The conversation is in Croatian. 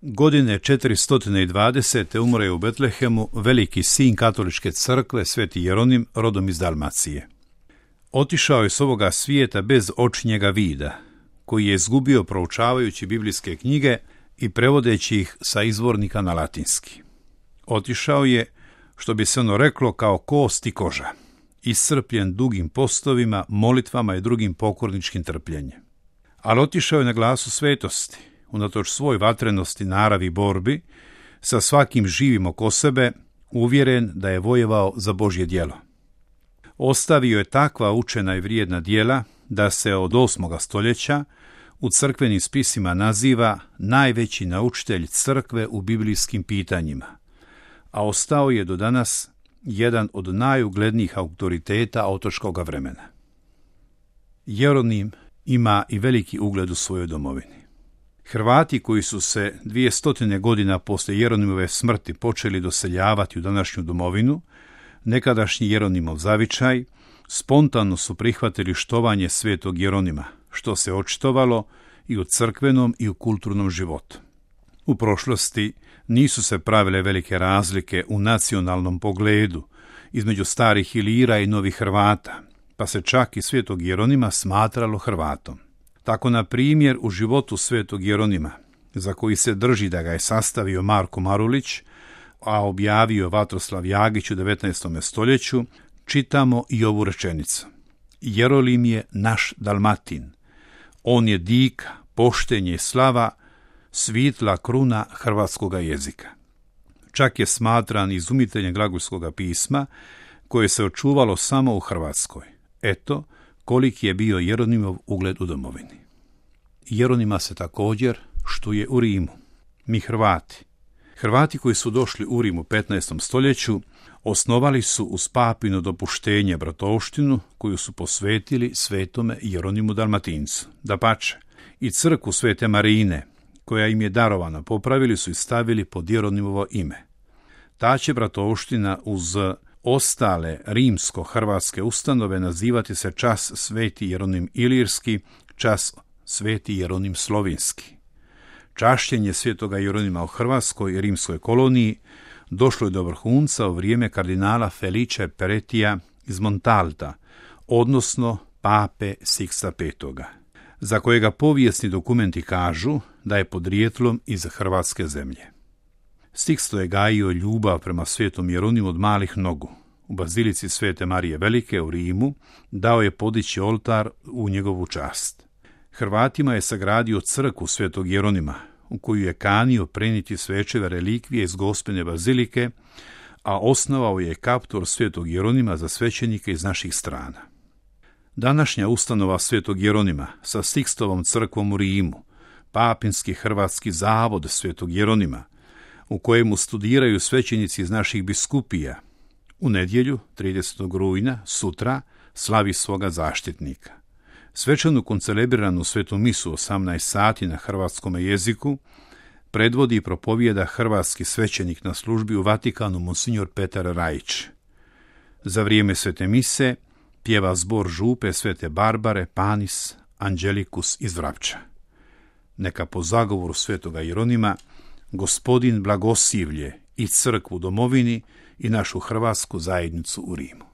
Godine 420. umro je u Betlehemu veliki sin katoličke crkve, sveti Jeronim, rodom iz Dalmacije. Otišao je s ovoga svijeta bez očinjega vida, koji je izgubio proučavajući biblijske knjige i prevodeći ih sa izvornika na latinski. Otišao je, što bi se ono reklo, kao kost i koža, iscrpljen dugim postovima, molitvama i drugim pokorničkim trpljenjem. Ali otišao je na glasu svetosti, unatoč svoj vatrenosti, naravi i borbi, sa svakim živim oko sebe, uvjeren da je vojevao za Božje djelo. Ostavio je takva učena i vrijedna djela da se od 8. stoljeća u crkvenim spisima naziva najveći naučitelj crkve u biblijskim pitanjima, a ostao je do danas jedan od najuglednijih autoriteta otočkoga vremena. Jeronim ima i veliki ugled u svojoj domovini. Hrvati koji su se 200 godina poslije Jeronimove smrti počeli doseljavati u današnju domovinu, nekadašnji Jeronimov zavičaj, spontano su prihvatili štovanje svetog Jeronima, što se očitovalo i u crkvenom i u kulturnom životu. U prošlosti nisu se pravile velike razlike u nacionalnom pogledu između starih Ilira i novih Hrvata, pa se čak i svetog Jeronima smatralo Hrvatom. Tako, na primjer, u životu svetog Jeronima, za koji se drži da ga je sastavio Marko Marulić, a objavio Vatroslav Jagić u 19. stoljeću, čitamo i ovu rečenicu. Jerolim je naš Dalmatin. On je dika, poštenje i slava, svitla kruna hrvatskoga jezika. Čak je smatran izumiteljem glagolskoga pisma, koje se očuvalo samo u Hrvatskoj. Eto, koliki je bio Jeronimov ugled u domovini. Jeronima se također štuje u Rimu. Mi Hrvati koji su došli u Rim u 15. stoljeću, osnovali su uz papino dopuštenje bratovštinu koju su posvetili svetome Jeronimu Dalmatincu. Dapače, i crkvu Svete Marine, koja im je darovana, popravili su i stavili pod Jeronimovo ime. Ta će bratovština uz ostale rimsko-hrvatske ustanove nazivati se čas Sveti Jeronim Ilirski, čas Sveti Jeronim Slovinski. Čašćenje svetoga Jeronima u Hrvatskoj i rimskoj koloniji došlo je do vrhunca u vrijeme kardinala Felice Peretija iz Montalta, odnosno pape Siksta V, za kojega povijesni dokumenti kažu da je podrijetlom iz hrvatske zemlje. Siksto je gajio ljubav prema svetom Jeronimu od malih nogu. U bazilici Svete Marije Velike u Rimu dao je podići oltar u njegovu čast. Hrvatima je sagradio crkvu svetog Jeronima, u koju je kanio prenijeti svečeve relikvije iz Gospine bazilike, a osnovao je kaptor svetog Jeronima za svećenike iz naših strana. Današnja ustanova svetog Jeronima sa Sikstovom crkvom u Rimu, Papinski hrvatski zavod svetog Jeronima, u kojemu studiraju svećenici iz naših biskupija, u nedjelju, 30. rujna, sutra, slavi svoga zaštitnika. Svečanu koncelebriranu svetu misu 18 sati na hrvatskom jeziku predvodi i propovijeda hrvatski svećenik na službi u Vatikanu monsignor Petar Rajić. Za vrijeme svete mise pjeva zbor župe Svete Barbare Panis Angelicus iz Vrapča. Neka po zagovoru svetoga Jeronima Gospodin blagosilje i crkvu u domovini i našu hrvatsku zajednicu u Rimu.